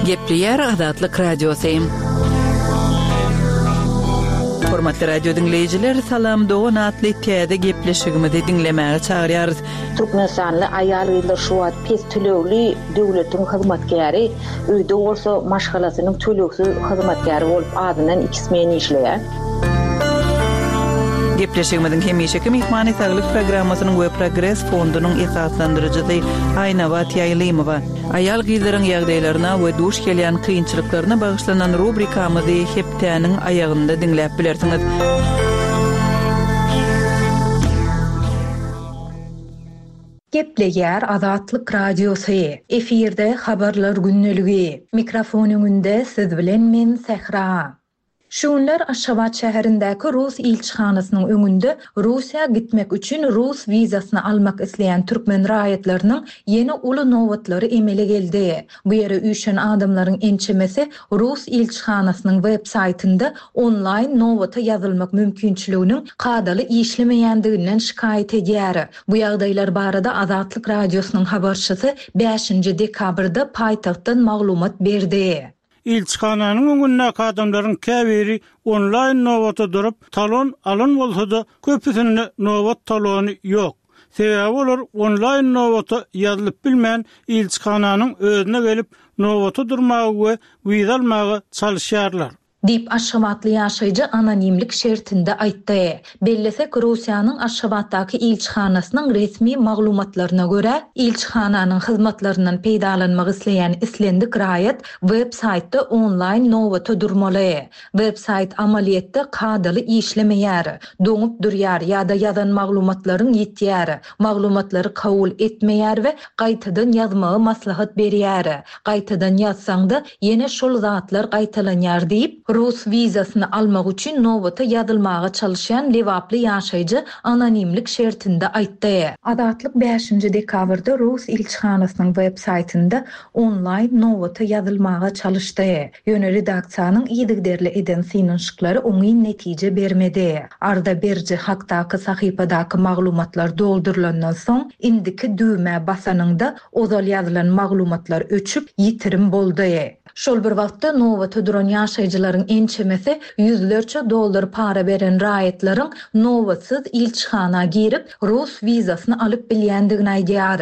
Gepleýär Azatlyk Radiosy. Hormatly radio diňleýjiler, Salam dogan atly täze gepleşigimizi diňlemäge çagyrýarys. Türkmenistanly aýal-gyzlar şu wagt pes tölegli döwletiň hyzmatkäri, öýde bolsa maşgalasynyň tölegsiz hyzmatkäri bolup azyndan iki smen işleýär. Gepleşigimiziň hemişeki myhmany Saglyk programmasynyň we Progres fondunyň esaslandyryjysy Aýnabat Ýaýlymowa. Aýal-gyzlaryň ýagdaýlaryna we duş gelýän kynçylyklaryna bagyşlanan rubrikamyzy hepdäniň aýagynda diňläp bilersiňiz. Gepleýär Azatlyk Radiosy, efirde Habarlar gündeligi. Mikrofon öňünde siz bilen men Sähra. Şu günler Aşgabat şäherindäki rus ilçihanasynyň öňünde Russiýa gitmek üçin rus wizasyny almak isleýän türkmen raýatlarynyň ýene uly nobatlary emele geldi. Bu ýere üýşen adamlaryň ençemesi rus ilçihanasynyň web saýtynda onlaýn nobata ýazylmak mümkinçiliginiň kadaly işlemeýändiginden şikaýat edýär. Bu ýagdaýlar barada Azatlyk Radiosynyň habarçysy bäşinji dekabrda paýtagtdan maglumat berdi. Ilçihananyň öňündäki adamlaryň käbiri onlaýn nobata durup, talon alan bolsa-da, köpüsinde nobat talony ýok. Sebäbi olar onlaýn nobata ýazylyp bilmän, ilçihananyň özüne gelip, nobata durmaga we wiza almaga çalyşýarlar. Diýip, aşgabatly ýaşaýjy anonimlik şertinde aýtdy. Bellesek, Russiýanyň Aşgabatdaky ilçihanasynyň resmi maglumatlaryna görä, ilçihananyň hyzmatlaryndan peýdalanmak isleýän islendik raýat web-saýtda onlaýn nobata durmaly. Web-saýt amalyýetde kadaly işlemeýär, doňup durýar ýa-da ýazan maglumatlaryň ýitýär, maglumatlary kabul etmeýär we gaýtadan ýazmagy maslahat berýär. Gaýtadan ýazsaň-da, ýene şol zatlar gaýtalanýar diýip, rus wizasyny almak üçin nobata ýazylmaga çalyşýan lebaply ýaşaýjy anonimlik şertinde aýtdy. Azatlyk bäşinji dekabrda rus ilçihanasynyň web saýtynda onlaýn nobata ýazylmaga çalyşdy. Ýöne redaksiýanyň yzygiderli eden synanyşyklary oňyn netije bermedi. Arza beriji hakdaky sahypadaky maglumatlar doldurylandan soň, indiki düwmä basanyňda Ozal ýazylan maglumatlar öçüp, ýitirim boldy. Şol bir wagtda, nobata duran ýaşaýjylaryň ençemesi ýüzlerçe dollar para beren raýatlaryň nobatsyz ilçihana girip, rus wizasyny alyp bilýändigini aýdýar.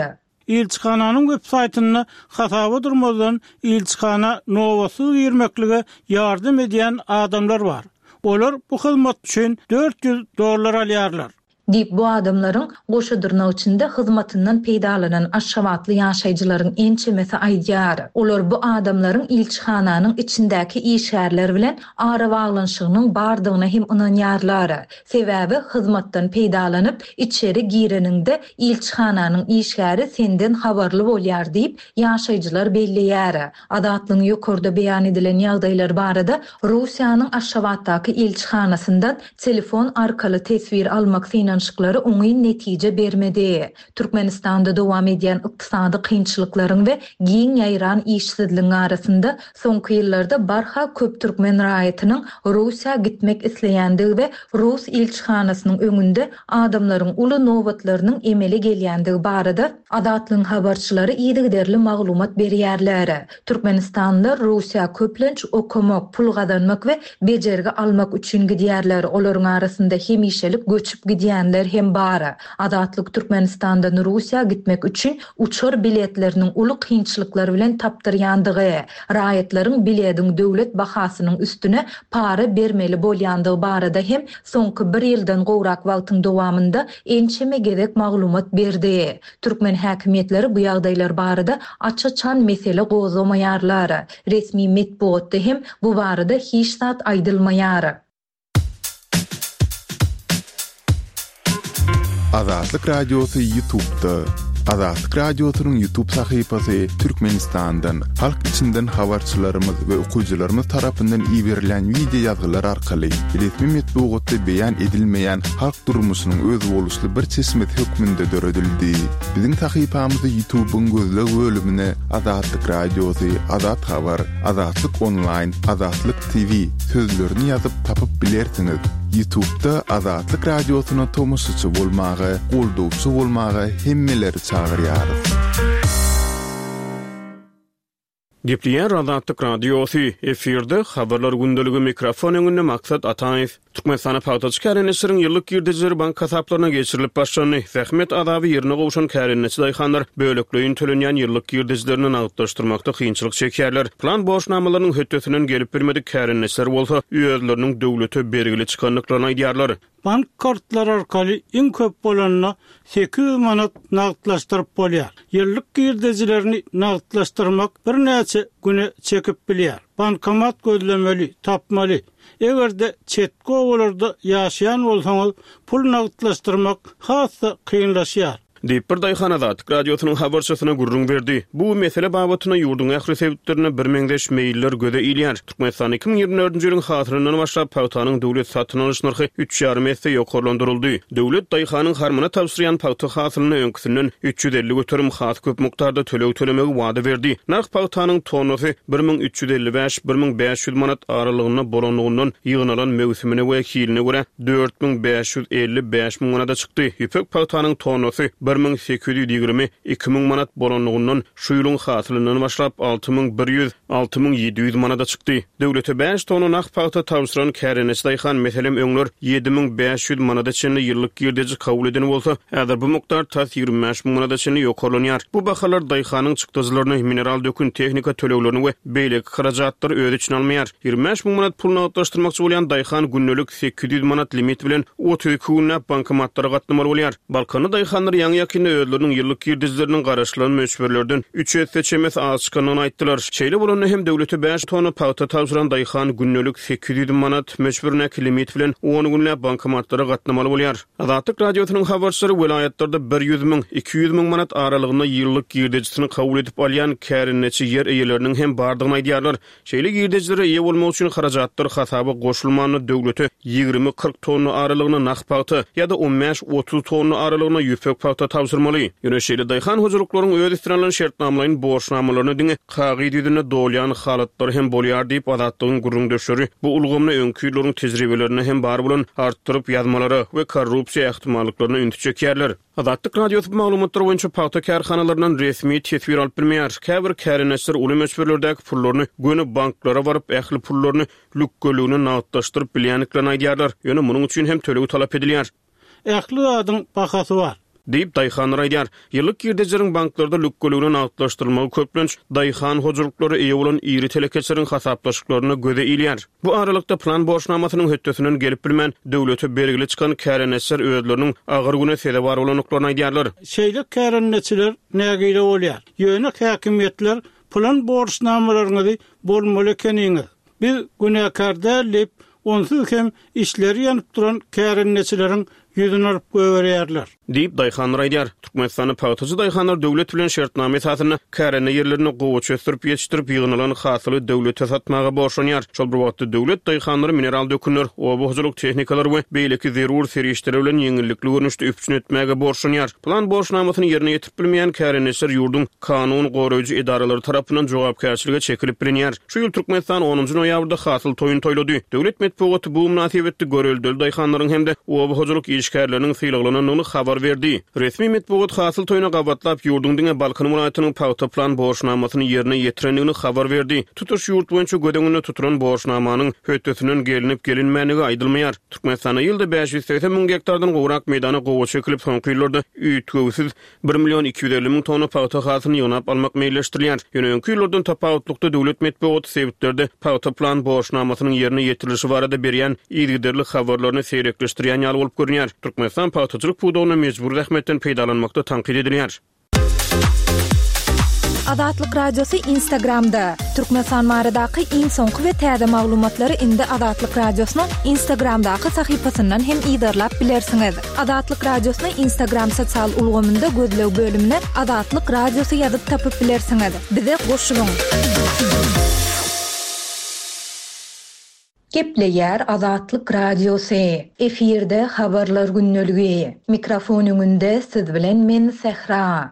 Ilçihananyň web saýtynda hasaba durmazdan ilçihana nobatsyz girmeklige ýardam edýän adamlar bar. Olar bu hyzmat üçin 400 dollar alýarlar. Diýip, bu adamlaryň, goşa dyrnak içinde, hyzmatyndan peýdalanan aşgabatly ýaşaýjylaryň ençemesi aýdýar. Olar bu adamlaryň ilçihananyň içindäki işgärler bilen arabaglanyşygynyň bardygyna hem ynanýarlar. Sebäbi, hyzmatdan peýdalanyp, içeri gireniňde, ilçihananyň işgäri senden habarly bolýar diýip, ýaşaýjylar belleýär. Azatlygyň ýokarda beýan edilen ýagdaýlar barada Russiýanyň Aşgabatdaky ilçihanasyndan Telefon arkaly teswir almak synanyşyklary oňyn netije bermedi. Türkmenistanda dowam edýän ykdysady kynçylyklaryň we giň ýaýran işsizligiň arasynda, soňky ýyllarda barha köp türkmen raýatynyň Russiýa gitmek isleýändigi we rus ilçihanasynyň öňünde adamlaryň uly nobatlarynyň emele gelýändigi barada Azatlygyň habarçylary yzygiderli maglumat berýärler. Türkmenistanlylar Russiýa köplenç okamak, pul gazanmak we bejergi almak üçin gidýärler, olaryň arasynda hemişelik göçüp gidýänler hem bar. Azatlyk Türkmenistandan Russiýa gitmek üçin uçar biletleriniň uly kynçylyklar bilen tapdyrýandygy, raýatlaryň bilediň döwlet bahasynyň üstüne para bermeli bolýandygy barada hem soňky bir ýyldan gowrak wagtyň dowamynda ençeme gezek maglumat berdi. Türkmen häkimiýetleri bu ýagdaýlar barada aç-açan mesele gozgamaýarlar. Resmi metbugatda hem bu barada hiç zat aýdylmaýar. Azatlyk Radiosy Ýutubda. Azatlyk Radiosynyň Ýutub sahypasy Türkmenistandan, halk içinden habarçylarymyz we okyjylarymyz tarapyndan iberilýän wideo ýazgylar arkaly resmi metbugatda beýan edilmeýän halk durmuşynyň özboluşly bir çeşmesi hökmünde döredildi. Biziň sahypamyzy Ýutubyň gözleg bölümine Azatlyk Radiosy, Azat Habar, Azatlyk Onlaýn, Azatlyk TV sözlerini ýazyp tapyp bilersiňiz. Ýutubda Azatlyk Radiosyna tomaşaçy bolmaga, goldawçy bolmaga hemmeleri çagyrýarys. Gepleýär Azatlyk Radiosy, efirde Habarlar gündeligi, mikrofon öňünde Maksat Ataýew. Türkmenistanda pagtaçy kärendeçileriň ýyllyk girdejileri bank hasaplaryna geçirilip başlandy. Zähmet azaby ýerine gowşan kärendeçi daýhanlar bölekleýin tölenýän ýyllyk girdejilerini nagtlaşdyrmakda kynçylyk çekýärler. Plan borçnamalarynyň hötdesinden gelip bilmedik kärendeçiler bolsa özleriniň döwlete bergili çykandyklaryny aýdýarlar. Bank kartlary arkaly iň köp bolanda 800 manat nagtlaşdyryp bolýar. Ýyllyk girdejilerini nagtlaşdyrmak birnäçe güne çekip bilýär. Bankomat gözlemeli, tapmaly. Eger-de çetki obalarda ýaşaýan bolsaňyz, pul nagtlaşdyrmak has-da kynlaşýar. Diýip, bir daýhan Azatlyk Radiosynyň habarçysyna gürrüň berdi. Bu mesele babatynda ýurduň ähli sebitlerinde birmeňzeş meýiller göze ilýär. Türkmenistanda 2024-nji ýylyň hasylyndan başlap pagtanyň döwlet satyn alyş nyrhy üç ýarym esse ýokarlandyryldy. Döwlet daýhanyň harmana tabşyrýan pagta hasylyna öňküsinden 350% has köp mukdarda töleg tölemegi wada berdi. Nyrh pagtanyň tonnasy 1355, 1500 manat aralygynda bolanlygyndan ýygnalan möwsümine we hiline görä 4550, 5000 manada çykdy. Ýüpek pagtanyň tonnasy 1820, 2000 manat bolanlygyndan şu ýylyň hasylyndan başlap 6100, 6700 manada çykdy. Döwlete bäş tonna nah pagta tabşyran kärendeçi daýhan, meselem, öňler 7500 manada çenli ýyllyk girdeji kabul eden bolsa, häzir bu mukdar tas 25 müň manada çenli ýokarlanýar. Bu bahalar daýhanyň çykdajylaryny, mineral dökün, tehnika töleglerini we beýleki harajatlary öz içine almaýar. 25 müň manat pul nagtlaşdyrmakçy bolýan daýhan gündelik 800 manat limit bilen 32 günläp bankomatlara gatnamaly bolýar. Balkanly daýhanlar ýaňy-ýakynda özleriniň ýyllyk girdejileriniň garaşylan möçberlerden üç esse çemesi az çykandygyny aýtdylar. Şeýle bolanda hem döwlete bäş tonna pagta tabşyran daýhan gündelik 800 manat möçberindäki limit bilen on günläp bankomatlara gatnamaly bolýar. Azatlyk Radiosynyň habarçylary welaýatlarda 100 müň, 200 müň manat aralygynda ýyllyk girdejisini kabul edip alýan kärendeçi ýer eýeleriniň hem bardygyny aýdýarlar. Şeýle girdejilere eýe bolmak üçin harajatlar hasaba goşulmanda döwlete 20-40 tonna aralygyna nah pagta ýa-da on bäş-otuz tonna aralygyna ýüpek pagta tabşyrmaly. Ýöne şeýle daýhan hojalyklaryň öz üstüne alan şertnamalaýyn borçnamalaryny diňe kagyz ýüzünde dolýan halatlary hem bolýar diýip, Azatlygyň gürrüňdeşleri bu ulgamda öňki ýyllaryň tejribelerinde hem bar bolan artdyryp ýazmalara we korrupsiýa ähtimallyklaryna ünsi çekýärler. Azatlyk Radiosy bu maglumatlar boýunça pagta kärhanalaryndan resmi teswir alyp bilmeýär. Käbir kärendeçiler uly möçberlerdäki pullaryny göni banklara baryp, ähli pullaryny lükgeligine nagtlaşdyryp bilýändiklerini aýdýarlar. Ýöne munuň üçin hem töleg talap edilýär. Ähli zadyň bahasy bar. Diýip, daýhanlar aýdýar. Ýyllyk girdejileriň banklarda lükgeligine nagtlaşdyrylmagy köplenç daýhan hojalyklara eýe bolan iri telekeçileriň hasaplaşyklarynda göze ilýär. Bu aralykda, plan borçnamasynyň hötdesinden gelip bilmän, döwlete bergili çykan kärendeçiler özleriniň agyr güne sezewar bolandyklaryny aýdýarlar. Şeýle kärendeçiler nägile bolýar. Ýöne häkimiýetler plan borçnamalaryňyzy bolmaly ekeniňiz, biz günäkär däl diýip, onsuz hem içleri ýanyp duran kärendeçileriň ýüzüni alyp goýberýärler. Diýip, daýhanlar aýdýar. Türkmenistanda pagtaçy daýhanlar döwlet bilen şertnama esasynda kärende ýerlerinde gowaça ösdürip ýetişdirip, ýygnalan hasyly döwlete satmaga borçlanýar. Şol bir wagtda, döwlet daýhanlary mineral dökünler, oba hojalyk tehnikalary we beýleki zerur serişdeler bilen ýeňillikli görnüşde üpjün etmäge borçlanýar. Plan borçnamasyny ýerine ýetirip bilmeýän kärendeçiler ýurduň kanun goraýjy edaralary tarapyndan jogapkärçilige çekilip bilinýär. Şu ýyl Türkmenistan onunjy noýabrda hasyl toýuny toýlady. Döwlet metbugaty bu mynasybetli göreldeli daýhanlaryň hem-de oba hojalyk işgärleriniň sylaglanandygyny habar berdi. Resmi metbugat hasyl toýuna gabatlap, ýurduň diňe Balkan welaýatynyň pagta plan borçnamasyny ýerine ýetirendigini habar berdi. Tutuş ýurt boýunça göz öňünde tutulan borçnamanyň hötdesinden gelnip-gelinmändigi aýdylmaýar. Türkmenistanda ýylda 580 müň gektardan gowrak meýdana gowaça ekilip, soňky ýyllarda üýtgewsiz Bir million 250 müň tonna pagta hasylyny ýygnap almak meýilleşdirilýär. Ýöne öňki ýyllardan tapawutlykda döwlet metbugaty sebitlerde pagta plan borçnamasynyň ýerine ýetirilişi barada berýän yzygiderli habarlaryny seýrekleşdirýän ýaly bolup görünýär. Türkmenistan pagtaçylyk pudagynda mejbury zähmetden peýdalanmakda tankyt edilýär. Azatlyk Radiosy Instagramda, Türkmenistan baradaky iň soňky we täze maglumatlary indi Azatlyk Radiosynyň Instagramdaky sahypasyndan hem yzarlap bilersiňiz. Azatlyk Radiosyny Instagram sosial ulgamynda gözleg bölümine Azatlyk Radiosy ýazyp tapyp bilersiňiz. Bize goşulyň! Gepleýär Azatlyk Radiosy. Efirde Habarlar gündeligi. Mikrofon öňünde siz bilen men Sähra.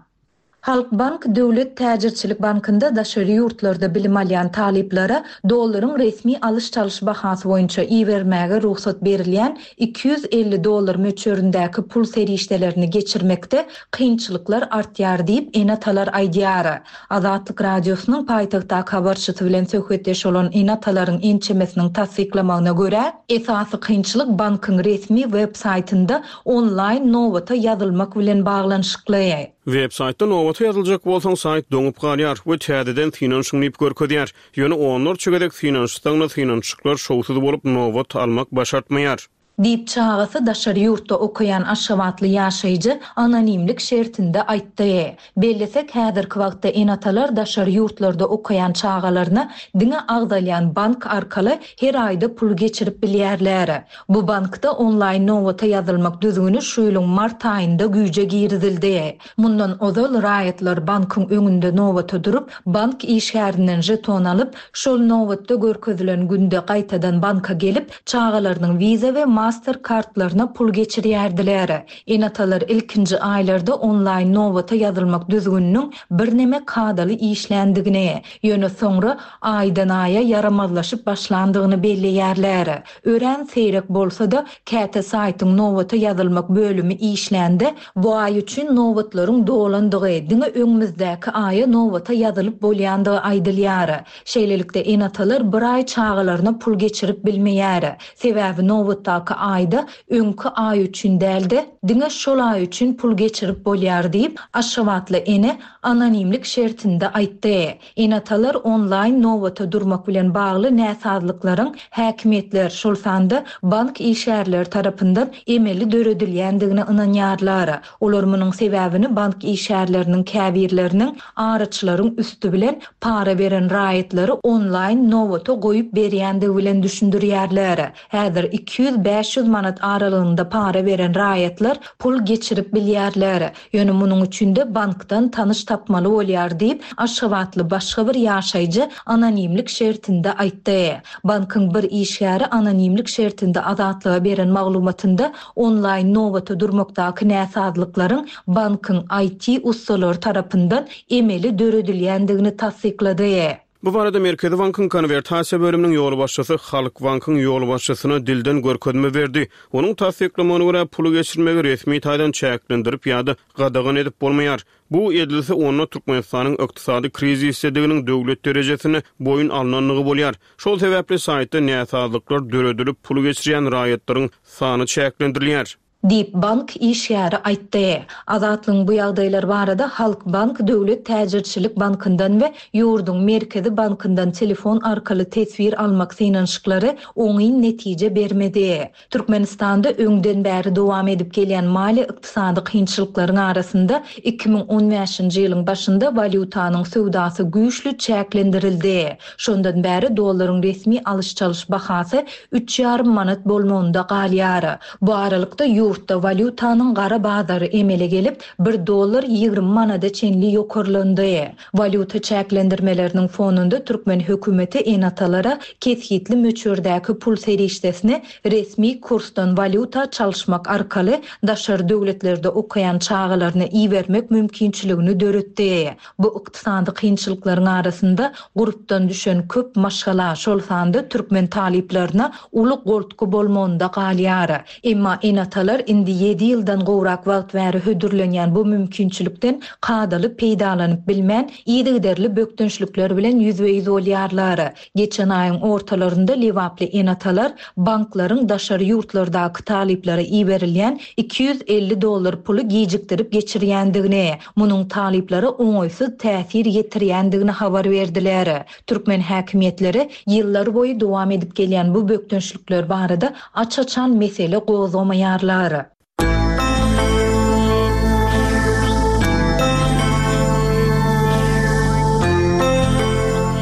Halkbank döwlet täjirçilik bankynda daşary ýurtlarda bilim alýan talyplara dollaryň resmi alyş-çalyş bahasy boýunça ibermäge rugsat berilýän 250 dollar möçberindäki pul serişdelerini geçirmekde kynçylyklar artýar diýip, ene-atalar aýdýar. Azatlyk Radiosynyň paýtagtdaky habarçysy bilen söhbetdeş bolan ene-atalaryň ençemesiniň tassyklamagyna görä, esasy kynçylyk bankyň resmi web saýtynda onlaýn nobata ýazylmak bilen baglanyşykly. Web saýtda nobata ýazyljak bolsaň saýt doňup galýar we täzeden synanyşyň diýip görkezýär. Ýöne onlarça gezek synanyşsaňda synanyşyklar şowsuz bolup nobat almak başartmaýar. Diýip, çagasy daşary ýurtda okaýan aşgabatly ýaşaýjy anonimlik şertinde aýtdy. Bellesek, häzirki wagtda ene-atalar daşary ýurtlarda okaýan çagalaryna diňe agzalýan bank arkaly her aýda pul geçirip bilýärler. Bu bankda onlaýn nobata ýazylmak düzgüni şu ýylyň mart aýynda güýje girizildi. Mundan ozal raýatlar bankyň öňünde nobata durup, bank işgärinden žeton alyp, şol nobatda görkezilen günde gaýtadan banka gelip, çagalarynyň Visa we Master kartlaryna pul geçirýärdiler. Ene-atalar ilkinji aýlarda onlaýn nobata ýazylmak düzgüniniň birneme kadaly işländigini, ýöne soňra aýdan-aýa ýaramazlaşyp başlandygyny belleýärler. Örän seýrek bolsa-da, käte saýtyň nobata ýazylmak bölümi işlände, bu aý üçin nobatlaryň dolandygy, diňe öňümizdäki aýa nobata ýazylyp bolýandygy aýdylýar. Şeýlelikde, ene-atalar bir aý çagalaryna pul geçirip bilmeýär. Sebäbi nobatdaky aýda öňki aý üçin däl-de, diňe şol aý üçin pul geçirip bolýar diýip, aşgabatly ene anonimlik şertinde aýtdy. Ene-atalar onlaýn nobata durmak bilen bagly näsazlyklaryň häkimiýetler, şol sanda bank işgärleri tarapyndan emeli döredilýändigine ynanýarlar. Olar munuň sebäbini bank işgärleriniň käbirleriniň araçylaryň üsti bilen para beren raýatlary onlaýn nobata goýup berýändigi bilen düşündirýärler. Häzir 200-500 manat aralygynda para beren raýatlar pul geçirip bilýärler. Ýöne munuň üçin-de bankdan tanyş tapmaly bolýar diýip, aşgabatly başga bir ýaşaýjy anonimlik şertinde aýtdy. Bankyň bir işgäri anonimlik şertinde Azatlyga beren maglumatynda onlaýn nobata durmakdaky näsazlyklaryň bankyň IT ussalary tarapyndan emeli döredilýändigini tassyklady. Bu barada Merkezi bankyň konwertasiýa bölüminiň ýolbaşçysy Halkbankyň ýolbaşçysyna dilden görkezme berdi. Onuň tassyklamagyna görä, puly geçirmegi resmi taýdan çäklendirip ýa-da gadagan edip bolmaýar. Bu edilse, onda Türkmenistanyň ykdysady krizisdediginiň döwlet derejesinde boýun alnandygy bolýar. Şol sebäpli saýtda näsazlyklar döredilip, puly geçirýän raýatlaryň sany çäklendirilýär. Diýip, bank işgäri aýtdy. Azatlygyň bu ýagdaýlar barada Halkbank döwlet täjirçilik bankyndan we ýurduň Merkezi bankyndan telefon arkaly teswir almak synanyşyklary oňyn netije bermedi. Türkmenistanda öňden bäri dowam edip gelýän maliýe-ykdysady kynçylyklaryň arasynda 2015-nji ýylyň başynda walýutanyň söwdasy güýçli çäklendirildi. Şondan bäri dollaryň resmi alyş-çalyş bahasy üç ýarym manat bolmagynda galýar. Bu aralykda, ýurtda walýutanyň gara bazary emele gelip, bir dollar 20 manada çenli ýokarlandy. Walýuta çäklendirmeleriniň fonunda türkmen hökümeti ene-atalara kesgitli möçberdäki pul serişdesini resmi kursdan walýuta çalyşmak arkaly daşary döwletlerde okaýan çagalaryna ibermek mümkinçiligini döretdi. Bu ykdysady kynçylyklaryň arasynda gurpdan düşen köp maşgala, şol sanda türkmen talyplaryna uly goltgy bolmagynda galýar. Emma ene-atalar indi ýedi ýyldan gowrak wagt bäri hödürlenýän bu mümkinçilikden kadaly peýdalanyp bilmän, yzygiderli bökdençlikler bilen ýüzbe-ýüz bolýarlar. Geçen aýyň ortalarynda lebaply ene-atalar banklaryň daşary ýurtlardaky talyplara iberilýän 250 dollar puly gijikdirip geçirýändigini, munuň talyplara oňaýsyz täsir ýetirýändigini habar berdiler. Türkmen häkimiýetleri ýyllarboýy dowam edip gelýän bu bökdençlikler barada aç-açan mesele gozgamaýarlar.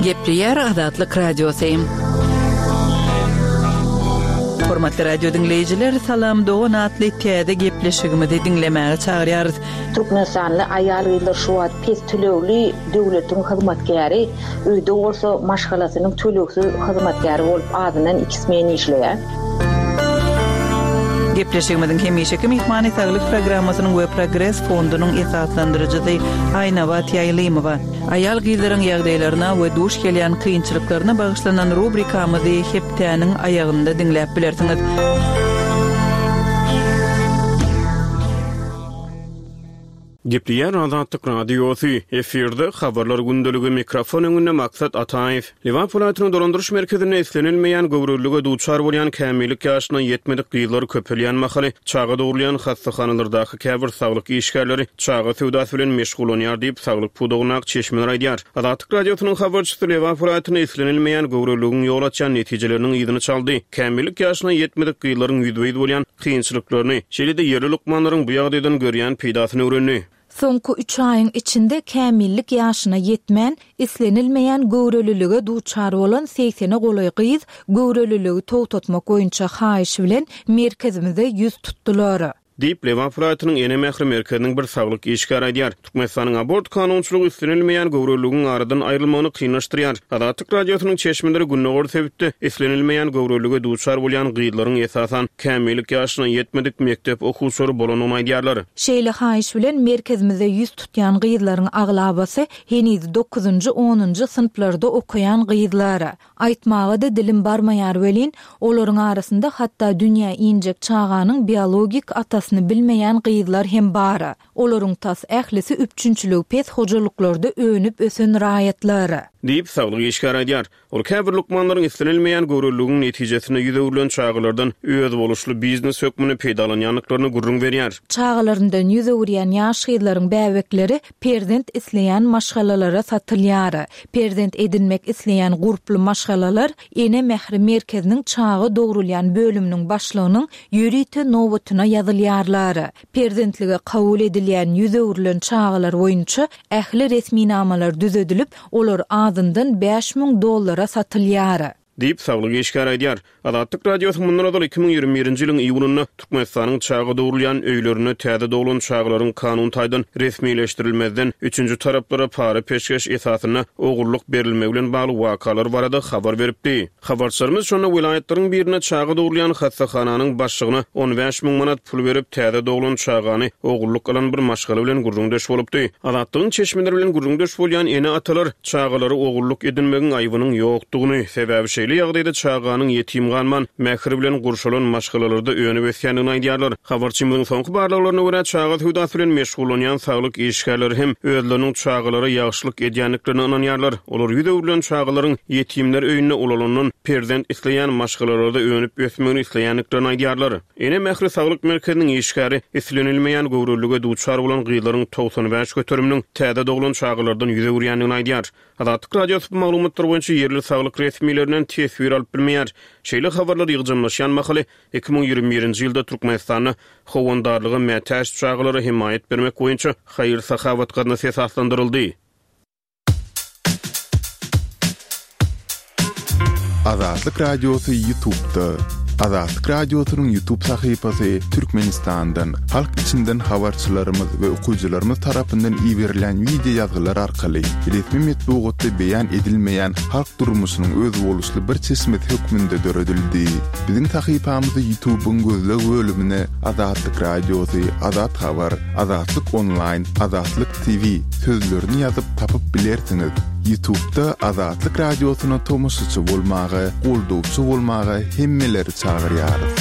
Gepleýär Azatlyk Radiosy. Hormatly radio diňleýjiler, Salam dogan atly täze gepleşigimizi diňlemäge çagyrýarys. Türkmenistanly aýal-gyzlar şu wagt pes tölegli döwletiň hyzmatkäri, öýde bolsa maşgalasynyň tölegsiz hyzmatkäri bolup azyndan iki smen işleýär. Gepleşigimiziň hemişeki myhmany Saglyk programmasynyň we Progres fondunyň esaslandyryjysy Aýnabat Ýaýlymowa. Aýal-gyzlaryň ýagdaýlaryna we duş gelýän kynçylyklaryna bagyşlanan rubrikamyzy hepdäniň aýagynda diňläp bilersiňiz. Gepleýär Azatlyk Radiosy, efirde Habarlar gündeligi, mikrofon öňünde Maksat Ataýew. Lebap welaýatynyň dolandyryş merkezinde islenilmeýän göwrelilige duçar bolýan kämillik ýaşyna ýetmedik gyzlar köpelýän mahaly, çaga dogrulýan hassahanalardaky käbir saglyk işgärleri çaga söwdasy bilen meşgullanýar diýip, saglyk pudagyndaky çeşmeler aýdýar. Azatlyk Radiosynyň habarçysy Lebap welaýatynda islenilmeýän göwreliligiň ýol açýan netijeleriniň yzyny çaldy. Kämillik ýaşyna ýetmedik gyzlaryň ýüzbe-ýüz bolýan kynçylyklaryny, şeýle-de ýerli lukmanlaryň bu ýagdaýdan görýän peýdasyny öwrendi. Soňky üç aýyň içinde kämillik ýaşyna ýetmän, islenilmeýän göwrelilige duçar bolan segsene golaý gyz göwreliligi togtatmak boýunça haýyş bilen merkezimize ýüz tutdular. Diýip, Lebap welaýatynyň Ene mähri merkeziniň bir saglyk işgäri aýdýar. Türkmenistanyň abort kanunçylygy islenilmeýän göwreliligiň aradan aýrylmagyny kynlaşdyrýar. Azatlyk Radiosynyň çeşmeleri gündogar sebitde islenilmeýän göwrelilige duçar bolýan gyzlaryň esasan kämillik ýaşyna ýetmedik mekdep okuwçylary bolandygyny aýdýarlar. Şeýle haýyş bilen merkezimize ýüz tutýan gyzlaryň aglabasy heniz dokuzynjy, onunjy synplarda okaýan gyzlar. Aýtmaga-da dilim barmaýar welin, olaryň arasynda hatda dünýä injek çaganyň biologik atasyny bilmeýän gyzlar hem bar. Olaryň tas ählisi üpjünçiligi pes hojalyklarda önüp-ösen raýatlar. Diýip, saglyk işgäri aýdýar. Ol käbir lukmanlaryň islenilmeýän göwreliligiň netijesinde ýüz öwrülen çagalardan özboluşly biznes hökmünde peýdalanýandyklaryny gürrüň berýär. Çagalaryndan ýüz öwürýän ýaş gyzlaryň bäbekleri perzent isleýän maşgalalara satylýar. Perzent edinmek isleýän gurply maşgalalar Ene mähri merkeziniň çaga dogrulýan bölüminiň başlygynyň ýörite nobatyna ýazylýarlar. Perzentlige kabul edilýän ýüz öwrülen çagalar boýunça ähli resminamalar düzedilip, olar azyndan 5000 dollara satylýar. Diýip, saglyk işgäri aýdýar. Azatlyk Radiosy mundan ozal 2021-nji ýylyň iýunynda Türkmenistanyň çaga dogrulýan öýlerinde täze doglan çagalaryň kanun taýdan resmileşdirilmezden, üçünji taraplara para-peşgeş esasynda ogullyk berilmegi bilen bagly wakalar barada habar beripdi. Habarçylarymyz şonda welaýatlaryň birinde çaga dogrulýan hassahananyň başlygyna 15 müň manat pul berip, täze doglan çagany ogullyk alan bir maşgala bilen gürrüňdeş bolupdy. Azatlygyň çeşmeleri bilen gürrüňdeş bolýan ene-atalar çagalary ogullyk edinmegiň aýbynyň ýokdugyny, sebäbi şeýle ýagdaýda çaganyň ýetim galman, mähir bilen gurşalan maşgalalarda önüp-ösýändigini aýdýarlar. Habarçymyzyň soňky barlaglaryna görä, çaga söwdasy bilen meşgullanýan saglyk işgärleri hem özleriniň çagalara ýagşylyk edýändiklerine ynanýarlar. Olar ýüz öwrülen çagalaryň ýetimler öýünde ulalandan perzent isleýän maşgalalarda önüp-ösmegini isleýändiklerini aýdýarlar. Ene mähri saglyk merkeziniň işgäri islenilmeýän göwrelilige duçar bolan gyzlaryň 95 göteriminiň täze doglan çagalardan ýüz öwürýändigini aýdýar. Azatlyk Radiosy bu maglumatlar boýunça ýerli saglyk resmilerinden teswir alyp bilmeýär. Şeýle habarlar ýygjamlaşýan mahaly, 2021-nji ýylda Türkmenistanda howandarlyga mätäç çagalara hemaýat bermek boýunça haýyr-sahawat gaznasy esaslandyryldy. Azatlyk Radiosy Ýutubda. Azatlyk Radiosynyň Ýutub sahypasy Türkmenistandan, halk içinden habarçylarymyz we okyjylarymyz tarapyndan iberilen wideo ýazgylar arkaly resmi metbugatda beýan edilmeýän halk durmuşynyň özboluşly bir çeşmesi hökmünde döredildi. Biziň sahypamyzy Ýutubyň gözleg bölümine Azatlyk Radiosy, Azat Habar, Azatlyk Onlaýn, Azatlyk TV sözlerini ýazyp tapyp bilersiňiz. Ýutubda Azatlyk Radiosyna tomaşaçy bolmaga, goldawçy bolmaga hemmeleri çagyrýarys.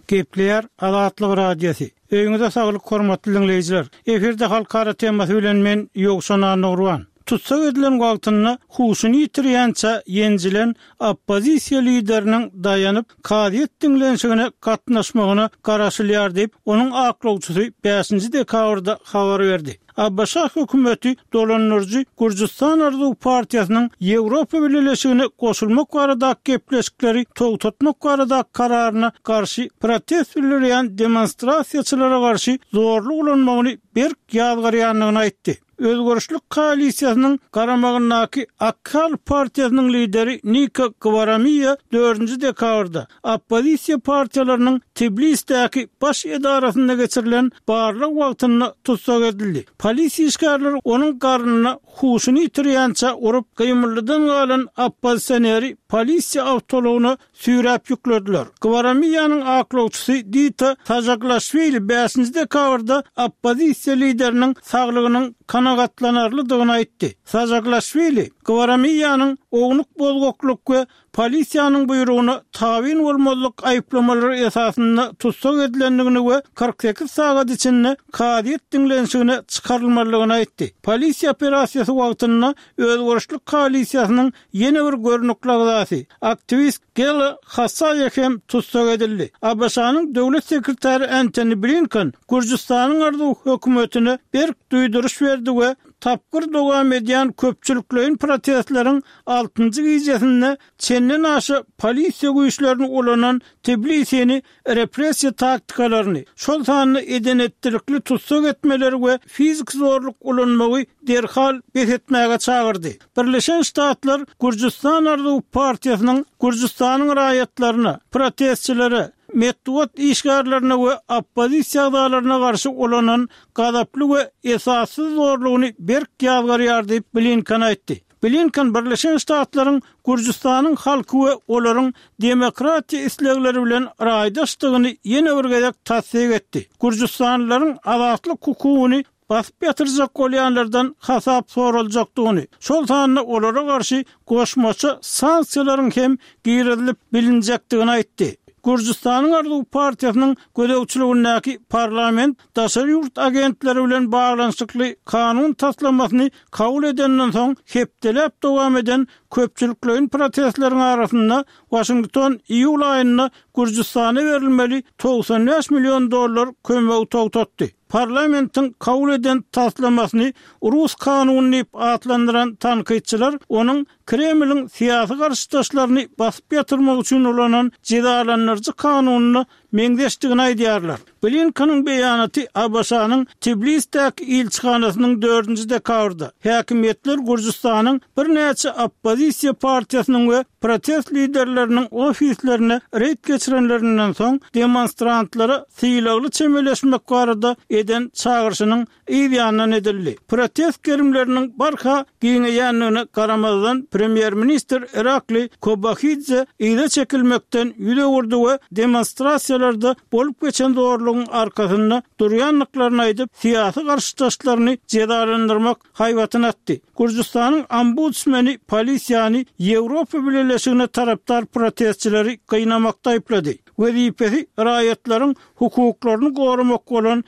Gepleýär Azatlyk Radiosy. Öýüňize saglyk hormatly diňleýjiler. Efirde halkara temasy bilen men Ýowşan Annagurban. Tussag edilen wagtynda huşuny ýitirýänçä ýenjilen oppozisiýa lideriniň daýanyp, kazyýet diňlenişigine gatnaşmagyna garaşylýar diýip, onuň aklawçysy bäşinji dekabrda habar berdi. ABŞ hökümeti dolandyryjy Gürjüstan Arzuw partiýasynyň Ýewropa Bileleşigine goşulmak baradaky gepleşikleri togtatmak baradaky kararyna garşy protest bildirýän demonstrasiýaçylara garşy zorluk ulanmagyny berk ýazgarýandygyny aýtdy. Özgerişlik koalisiýasynyň garamagyndaky Ak Halk partiýasynyň lideri Nika Gwaramiýa dördünji dekabrda oppozisiýa partiýalarynyň Tbilisdäki baş edarasynda geçirilen barlag wagtynda tussag edildi. Polisiýa işgärleri onuň garnyna huşuny ýitirýänçä urup, gymyldydan galan oppozisioneri polisiýa awtoulagyna süýräp ýüklediler. Gwaramiýanyň aklawçysy Dita Sajaglaşwili bäşinji dekabrda oppozisiýa lideriniň saglygynyň kanagatlanarlydygyny aýtdy. Sajaglaşwili Gwaramiýanyň ownuk bozgaklyk we polisiýanyň buýrugyna tabyn bolmazlyk aýyplamalary esasynda tussag edilendigini we 48 sagat içinde kazyýet diňlenişigine çykarylmalydygyny aýtdy. Polisiýa operasiýasy wagtynda Özgerişlik koalisiýasynyň ýene bir görnükli agzasy, aktiwist Gela Hasaýa hem tussag edildi. ABŞ-nyň Döwlet sekretary Entoni Blinken Gürjüstanyň arzuw hökümetine berk duýduryş berdi we tapgyr dowam edýän köpçülikleýin protestleriň altynjy gijesinde çenden-aşa polisiýa güýçlerini ulanan Tbilisini repressiýa taktikalaryny, şol sanda eden-etdilikli tussag etmeleri we fiziki zorluk ulanmagy derhal bes etmäge çagyrdy. Birleşen Ştatlar Gürjüstan arzuwy partiýasynyň Gürjüstanyň raýatlaryna, protestçilere, metbugat işgärlerine we oppozisiýa agzalaryna garşy ulanan gazaply we esassyz zorlugyny berk ýazgarýar diýip, Blinken aýtdy. Blinken Birleşen Ştatlaryň Gürjüstanyň halky we olaryň demokratiýa islegleri bilen raýdaşdygyny ýene bir gezek tassyk etdi. Gürjüstanlylaryň azatlyk hukugyny basyp ýatyrjak bolýanlardan hasap soraljakdygyny, şol sanda olara garşy goşmaça sanksiýalaryň hem girizilip bilinjekdigini aýtdy. Gürjüstanyň Arzuw partiýasynyň gözegçiligindäki parlament daşary ýurt agentleri bilen baglanyşykly kanun taslamasyny kabul edenden soň hepdeläp dowam eden köpçülikleýin protestleriň arasynda Waşington iýul aýynda Gürjüstana berilmeli 95 million dollar kömegi togtatdy. Parlamentiň kabul eden taslamasyny rus kanuny diýip atlandyran tankytçylar onuň Kremliň syýasy garşydaşlaryny basyp ýatyrmak üçin ulanan jezalandyryjy kanunyna meňzeşdigini aýdýarlar. Blinkeniň beýanaty ABŞ-nyň Tblisdäki ilçihanasynyň dördünji dekabrda, häkimiýetler Gürjüstanyň birnäçe oppozisiýa partiýasynyň we protest liderleriniň ofislerine reýd geçirenlerinden soň, demonstrantlara sylagly çemeleşmek barada eden çagyryşynyň yz ýanyndan edildi. Protest gerimleriniň barha giňeýändigine garamazdan, premýer-ministr Irakli Kobahidze yza çekilmekden ýüz öwürdi we demonstrasiýalarda bolup geçen zorlugyň arkasynda durýandyklaryny aýdyp, syýasy garşydaşlaryny jezalandyrmak haýbatyny atdy. Gürjüstanyň ombudsmeni polisiýany Ýewropa Bileleşigine tarapdar protestçileri gynamakda aýyplady. Wezipesi raýatlaryň hukuklaryny goramak bolan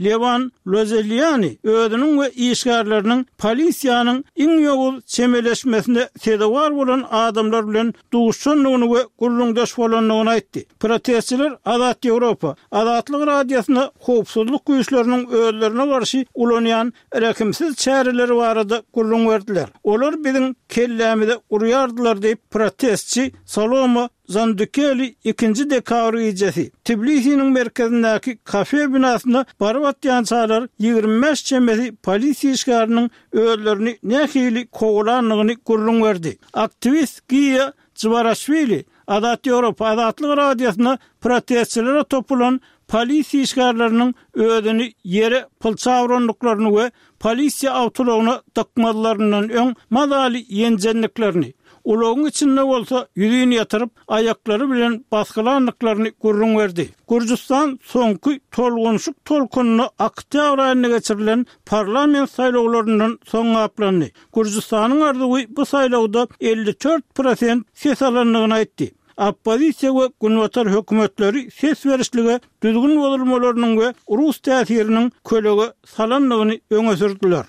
Lewan Lozeliani özüniň we işgärleriniň polisiýanyň iň ýowuz çemeleşmesine sezewar bolan adamlar bilen duşandygyny we gürrüňdeş bolandygyny aýtdy. Protestçiler Azat Ýewropa, Azatlyk Radiosyna howpsuzlyk güýçleriniň özlerine garşy ulanýan rehimsiz çäreleri barada gürrüň berdiler. Olar biziň kellämize urýardylar diýip, protestçi Saloma Zandukeli ikinji dekabr gijesi, Tbilisiniň merkezindäki kafe binasyna baryp atýançalar 25 çemesi polisiýa işgäriniň özlerini nähili kowalandygyny gürrüň berdi. Aktiwist Giýa Jwaraşwili Azat Ýewropa Azatlyk Radiosyna protestçilere topulan polisiýa işgärleriniň özüni ýere pylça urandyklaryny we polisiýa awtoulagyna dykmazlaryndan öň mazaly ýenjendiklerini, ulagyň içinde bolsa ýüzin ýatyryp, aýaklary bilen basgylandyklaryny gürrüň berdi. Gürjüstan soňky tolgunyşyk tolkunyna oktýabr aýynda geçirilen parlament saýlawlaryndan soň gaplandy. Gürjüstanyň arzuwy bu saýlawda 54 prosent ses alandygyny aýtdy. Oppozisiýa we Günbatar hökümetleri ses berişlige düzgün bozulmalarynyň we rus täsiriniň kölege salandygyny öňe sürdüler.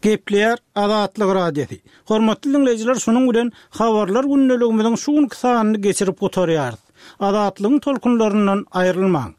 Gepleýär Azatlyk Radiosy. Hormatly diňleýjiler şunuň bilen Habarlar gündeligimiziň şu günki sanyny geçirip gutarýarys. Azatlygyň tolkunlaryndan aýrylmaň.